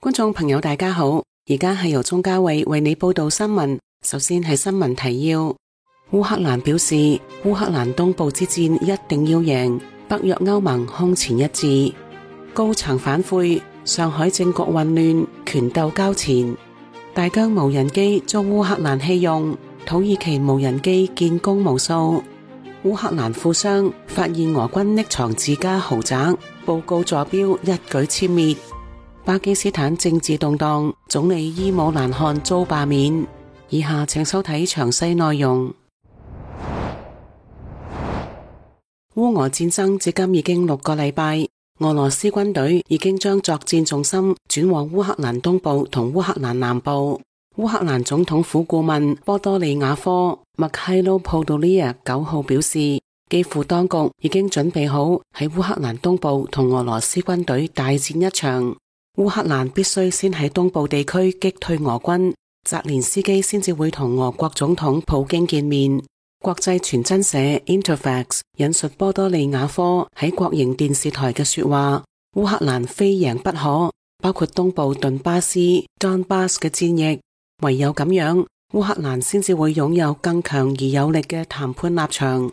觀眾朋友大家好，而家係由鍾嘉慧為你報道新聞。首先係新聞提要：烏克蘭表示烏克蘭東部之戰一定要贏，北約歐盟空前一致。高層反悔，上海政局混亂，權鬥交纏。大疆無人機遭烏克蘭棄用，土耳其無人機建功無數。烏克蘭富商發現俄軍匿藏自家豪宅，報告坐標一舉殲滅。巴基斯坦政治動盪，總理伊姆蘭汗遭罷免。以下請收睇詳細內容。烏俄戰爭至今已經6個禮拜，俄羅斯軍隊已經將作戰重心轉往烏克蘭東部同烏克蘭南部。烏克蘭總統府顧問波多利亞科麥凱洛普多利亞9號表示，基輔當局已經準備好喺烏克蘭東部同俄羅斯軍隊大戰一場。烏克蘭必須先喺東部地區擊退俄軍，澤連斯基先至會同俄國總統普京見面。國際傳真社 Interfax 引述波多利亞科喺國營電視台嘅說話，烏克蘭非贏不可，包括東部頓巴斯 Donbas 嘅戰役，唯有咁樣，烏克蘭先至會擁有更強而有力嘅談判立場。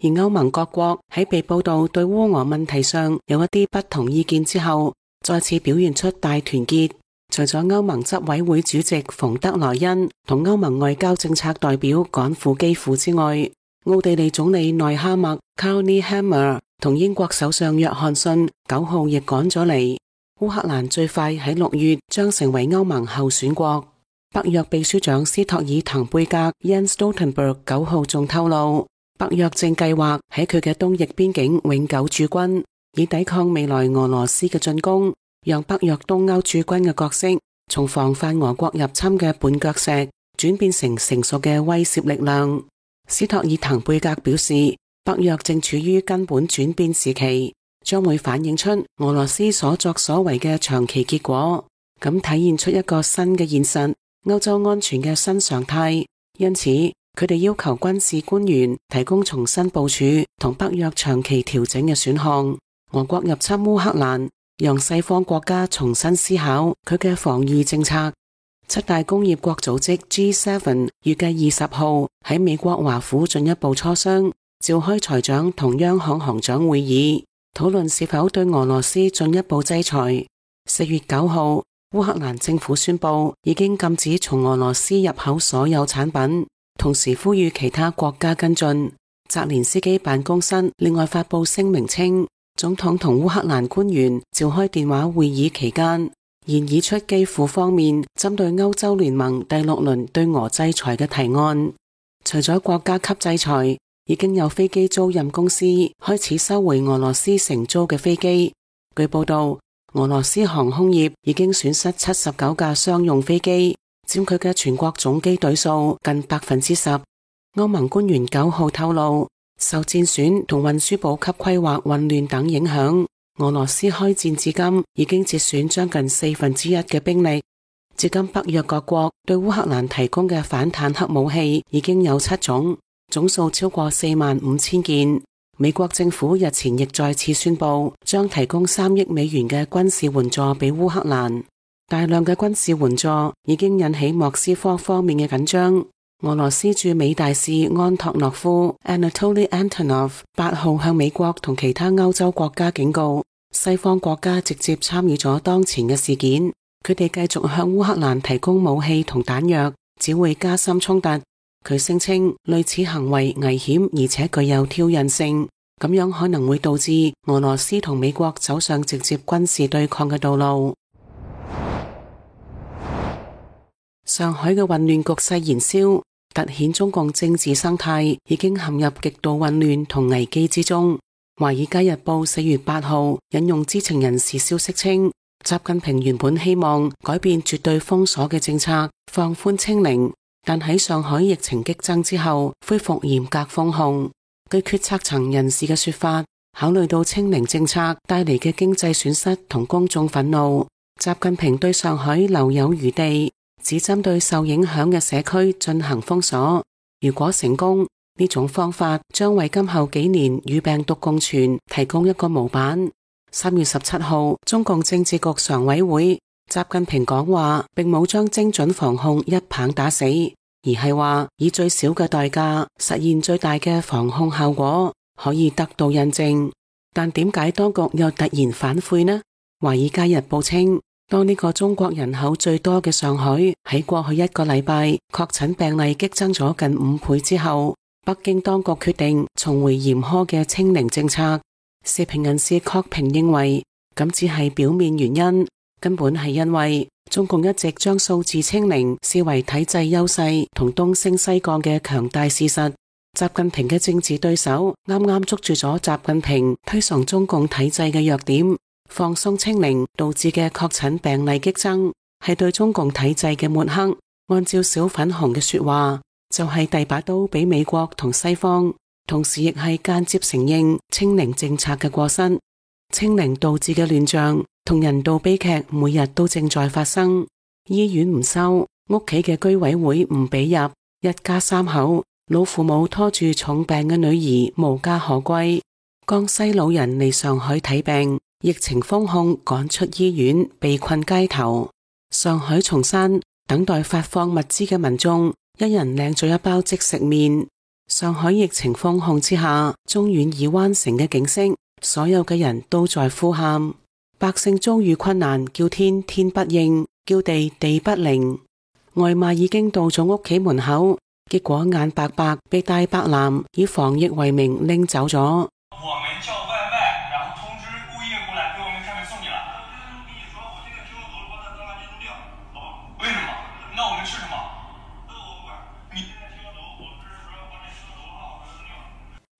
而歐盟各國喺被報道對烏俄問題上有一啲不同意見之後，再次表現出大團結。除咗歐盟執委會主席馮德萊恩同歐盟外交政策代表趕赴基輔之外，奧地利總理內哈默 Karl Nehammer 同英國首相約翰遜9號亦趕咗嚟。烏克蘭最快喺6月將成為歐盟候選國。北約秘書長斯托爾滕貝格 Jens Stoltenberg 9號仲透露，北約正計劃喺佢嘅東翼邊境永久駐軍，以抵抗未來俄羅斯嘅進攻，讓北約東歐駐軍嘅角色從防範俄國入侵嘅絆腳石轉變成成熟嘅威懾力量。斯托爾滕貝格表示，北約正處於根本轉變時期，將會反映出俄羅斯所作所為嘅長期結果，咁體現出一個新嘅現實，歐洲安全嘅新常態。因此，佢哋要求軍事官員提供重新部署同北約長期調整嘅選項。俄國入侵烏克蘭，讓西方國家重新思考佢嘅防禦政策。7大工業國組織 G7 預計20號喺美國華府進一步磋商，召開財長同央行行長會議，討論是否對俄羅斯進一步制裁。4月9號，烏克蘭政府宣布已經禁止從俄羅斯入口所有產品，同時呼籲其他國家跟進。澤連斯基辦公室另外發布聲明稱，總統同烏克蘭官員召開電話會議期間，研議出基輔方面針對歐洲聯盟第6輪對俄制裁嘅提案。除咗國家級制裁，已經有飛機租賃公司開始收回俄羅斯承租嘅飛機。據報道，俄羅斯航空業已經損失79架商用飛機，佔佢嘅全國總機隊數近10%。歐盟官員9號透露，受戰損同運輸補給規劃混亂等影響，俄羅斯開戰至今已經折損將近1/4嘅兵力。至今北約各國對烏克蘭提供嘅反坦克武器已經有7種，總數超過45000件。美國政府日前亦再次宣布，將提供3億美元嘅軍事援助俾烏克蘭。大量嘅軍事援助已經引起莫斯科方面嘅緊張。俄羅斯駐美大使安托諾夫 Anatoly Antonov 8號向美國同其他歐洲國家警告，西方國家直接參與咗當前嘅事件，佢哋繼續向烏克蘭提供武器同彈藥，只會加深衝突。佢聲稱類似行為危險而且具有挑釁性，咁樣可能會導致俄羅斯同美國走上直接軍事對抗嘅道路。上海嘅混亂局勢燃燒，凸顯中共政治生態已經陷入極度混亂同危機之中。華爾街日報4月8號引用知情人士消息稱，習近平原本希望改變絕對封鎖嘅政策，放寬清零，但喺上海疫情激增之後，恢復嚴格封控。據決策層人士嘅說法，考慮到清零政策帶嚟嘅經濟損失同公眾憤怒，習近平對上海留有餘地，只針對受影響嘅社區進行封鎖。如果成功，呢種方法將為今後幾年與病毒共存提供一個模板。3月17號，中共政治局常委會習近平講話並冇將精準防控一棒打死，而係話以最少嘅代價實現最大嘅防控效果，可以得到印證。但點解當局又突然反悔呢？華爾街日報稱，當呢個中國人口最多嘅上海喺過去一個禮拜確診病例激增咗近5倍之後，北京當局決定重回嚴苛嘅清零政策。時評人士郝平認為，咁只係表面原因，根本係因為中共一直將數字清零視為體制優勢同東升西降嘅強大事實。習近平嘅政治對手啱啱捉住咗習近平推崇中共體制嘅弱點，放鬆清零導致嘅確診病例激增，係對中共體制嘅抹黑。按照小粉紅嘅說話，就係遞把刀俾美國同西方，同時亦係間接承認清零政策嘅過失。清零導致嘅亂象同人道悲劇每日都正在發生。醫院唔收，屋企嘅居委會唔俾入，一家3口，老父母拖住重病嘅女兒無家可歸。江西老人嚟上海睇病，疫情封控趕出醫院，被困街頭。上海松山等待發放物資嘅民眾，一人領咗一包即食麵。上海疫情封控之下，中遠二灣城嘅景色，所有嘅人都在呼喊，百姓遭遇困難，叫天天不應，叫地地不靈。外賣已經到咗屋企門口，結果眼白白被大白男以防疫為名拎走咗。我們叫外賣，然後通知物業過來給我們開門送你了。跟你說，我這個車都放在當晚就掉，好吧？為什麼？那我們吃什麼？那我不管。你現在車頭，我是說把你車頭號扔掉。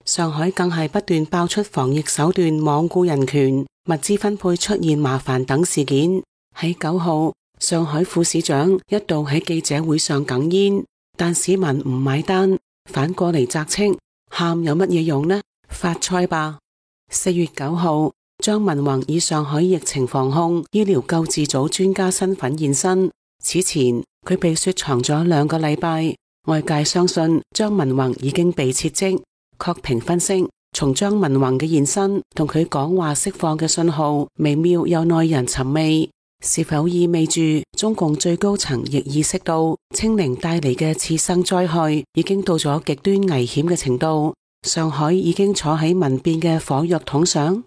上海更係不斷爆出防疫手段罔顧人權、物資分配出現麻煩等事件。喺9號，上海副市長一度喺記者會上哽咽，但市民唔買單，反過嚟責斥，喊有乜嘢用呢？發菜吧。4月9號，張文宏以上海疫情防控醫療救治組專家身份現身。此前佢被雪藏咗2個禮拜，外界相信張文宏已經被撤職。郝平分析，從張文宏嘅現身同佢講話釋放嘅信號微妙又耐人尋味，是否意味住中共最高層亦意識到清零帶嚟嘅次生災害已經到咗極端危險嘅程度？上海已經坐喺民變嘅火藥桶上。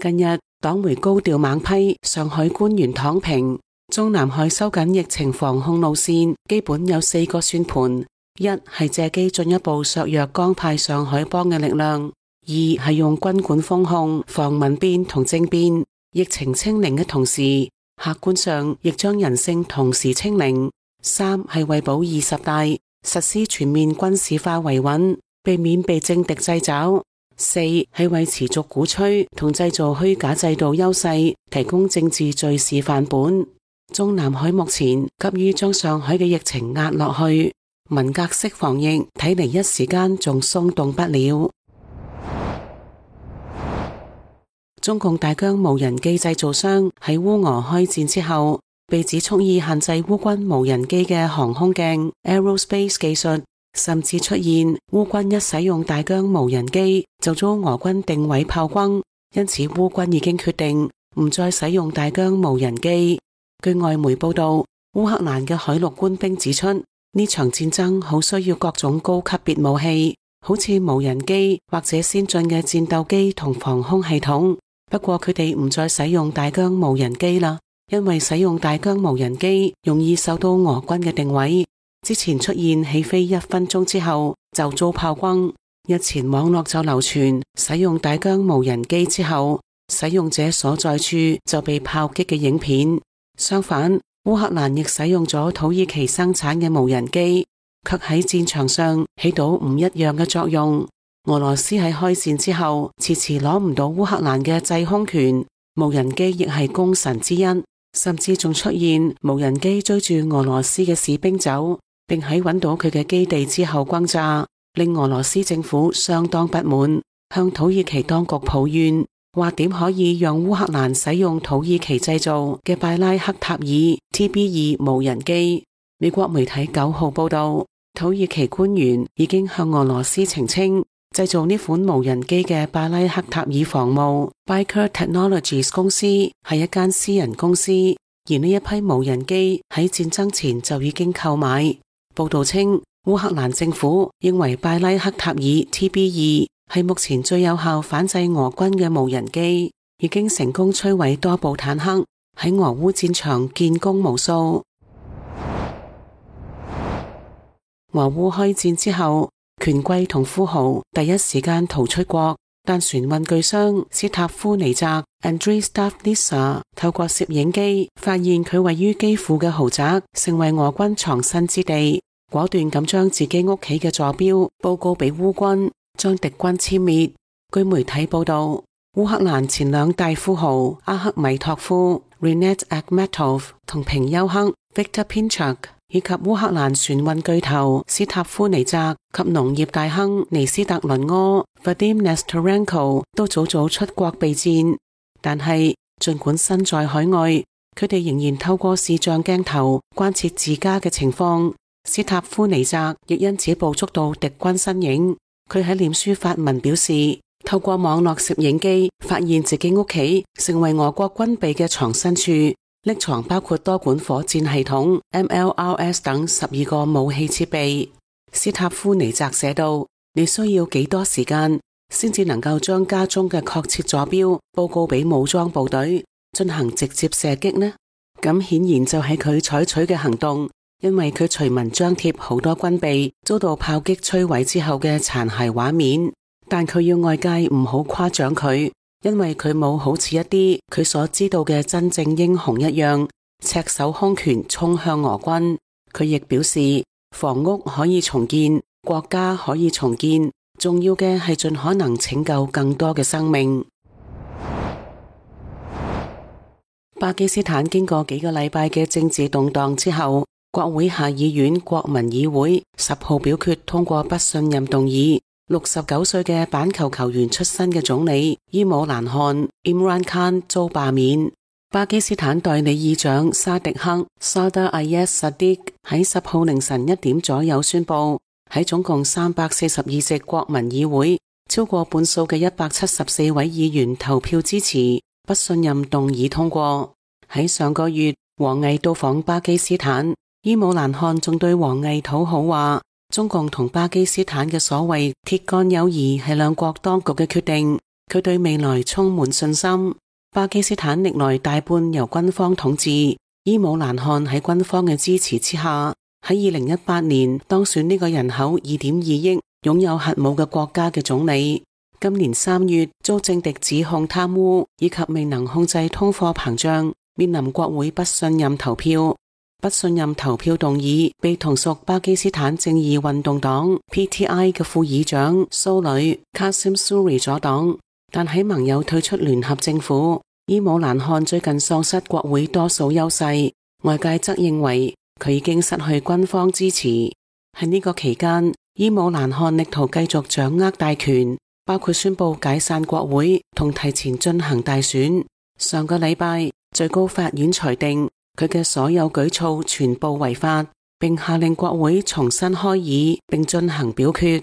近日黨媒高調猛批上海官員躺平，中南海收緊疫情防控路線基本有4個算盤：一係借機進一步削弱江派上海幫嘅力量；二係用軍管封控防民變同政變，疫情清零嘅同時，客觀上亦將人性同時清零；三係為保20大，實施全面軍事化維穩，避免被政敵掣肘；四係為持續鼓吹同製造虛假制度優勢提供政治敘事範本。中南海目前急於將上海嘅疫情壓落去，文革式防疫睇嚟一時間仲鬆動不了。中共大疆無人機製造商喺烏俄開戰之後，被指蓄意限制烏軍無人機嘅航空鏡 Aerospace 技術，甚至出現烏軍一使用大疆無人機就遭俄軍定位炮轟，因此烏軍已經決定唔再使用大疆無人機。據外媒報道，烏克蘭嘅海陸官兵指出，呢場戰爭好需要各種高級別武器，好似無人機或者先進嘅戰鬥機同防空系統。不過佢哋唔再使用大疆無人機啦，因為使用大疆無人機容易受到俄軍嘅定位。之前出現起飛1分鐘之後就遭炮轟，日前網絡就流傳使用大疆無人機之後，使用者所在處就被炮擊嘅影片。相反，烏克蘭亦使用咗土耳其生產嘅無人機，卻喺戰場上起到唔一樣嘅作用。俄羅斯喺開戰之後遲遲攞唔到烏克蘭嘅制空權，無人機亦係功臣之一，甚至仲出現無人機追住俄羅斯嘅士兵走，並喺揾到佢嘅基地之後轟炸，令俄羅斯政府相當不滿，向土耳其當局抱怨，話點可以讓烏克蘭使用土耳其製造嘅拜拉克塔爾 TB2 無人機。美國媒體9號報道，土耳其官員已經向俄羅斯澄清，製造呢款無人機嘅拜拉克塔爾防務 Baykar Technologies 公司係一間私人公司，而呢一批無人機喺戰爭前就已經購買。報道稱，烏克蘭政府認為拜拉克塔爾 TB2 係目前最有效反制俄軍嘅無人機，已經成功摧毀多部坦克，喺俄烏戰場建功無數。俄烏開戰之後，權貴同富豪第一時間逃出國，但船運巨商斯塔夫尼澤 Andrei Stavlisa 透過攝影機發現佢位於基輔嘅豪宅成為俄軍藏身之地，果斷咁將自己屋企嘅坐標報告俾烏軍，將敵軍殲滅。據媒體報道，烏克蘭前兩大富豪阿克米托夫 Rinat Akhmetov 同平丘克 Viktor Pinchuk，以及烏克蘭船運巨頭斯塔夫尼澤及農業大亨尼斯特倫柯 Vadim Nestorenko 都早早出國備戰，但係儘管身在海外，佢哋仍然透過視像鏡頭關切自家嘅情況。斯塔夫尼澤亦因此捕捉到敵軍身影。佢喺臉書發文表示，透過網絡攝影機發現自己屋企成為俄國軍備嘅藏身處，匿藏包括多管火箭系統 MLRS 等12個武器設備。斯塔夫尼澤寫道：你需要幾多時間先至能夠將家中嘅確切坐標報告俾武裝部隊進行直接射擊呢？咁顯然就係佢採取嘅行動，因為佢隨文張貼好多軍備遭到炮擊摧毀之後嘅殘骸畫面，但佢要外界唔好誇獎佢，因為佢冇好似一啲佢所知道嘅真正英雄一樣赤手空拳衝向俄軍。佢亦表示，房屋可以重建，國家可以重建，重要嘅係盡可能拯救更多嘅生命。巴基斯坦經過幾個禮拜嘅政治動盪之後，國會下議院國民議會10號表決通過不信任動議。69歲嘅板球球員出身嘅總理伊姆蘭汗 Imran Khan 遭罷免。巴基斯坦代理議長沙迪克 Sadr Ayaz Sadiq 喺10號凌晨1點左右宣布，喺總共342席國民議會超過半數嘅174位議員投票支持不信任動議通過。喺上個月，王毅到訪巴基斯坦，伊姆蘭汗仲對王毅討好話，中共同巴基斯坦嘅所謂鐵桿友誼係兩國當局嘅決定，佢對未來充滿信心。巴基斯坦歷來大半由軍方統治，伊姆蘭汗喺軍方嘅支持之下，喺2018年當選呢個人口2.2億、擁有核武嘅國家嘅總理。今年3月遭政敵指控貪污以及未能控制通貨膨脹，面臨國會不信任投票。不信任投票動議被同屬巴基斯坦正義運動黨 PTI 嘅副議長蘇里 Qasim Suri 阻擋，但喺盟友退出聯合政府，伊姆蘭汗最近喪失國會多數優勢，外界則認為佢已經失去軍方支持。喺呢個期間，伊姆蘭汗力圖繼續掌握大權，包括宣布解散國會同提前進行大選。上個禮拜，最高法院裁定佢嘅所有舉措全部違法，並下令國會重新開議並進行表決。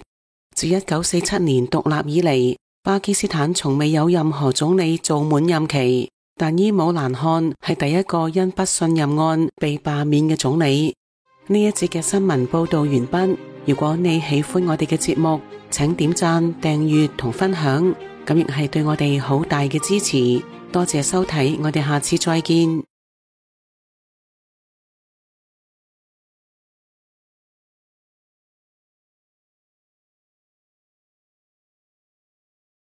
自1947年獨立以嚟，巴基斯坦從未有任何總理做滿任期，但伊姆蘭汗係第一個因不信任案被罷免嘅總理。呢一節嘅新聞報道完畢。如果你喜歡我哋嘅節目，請點讚、訂閱同分享，咁亦係對我哋好大嘅支持。多謝收睇，我哋下次再見。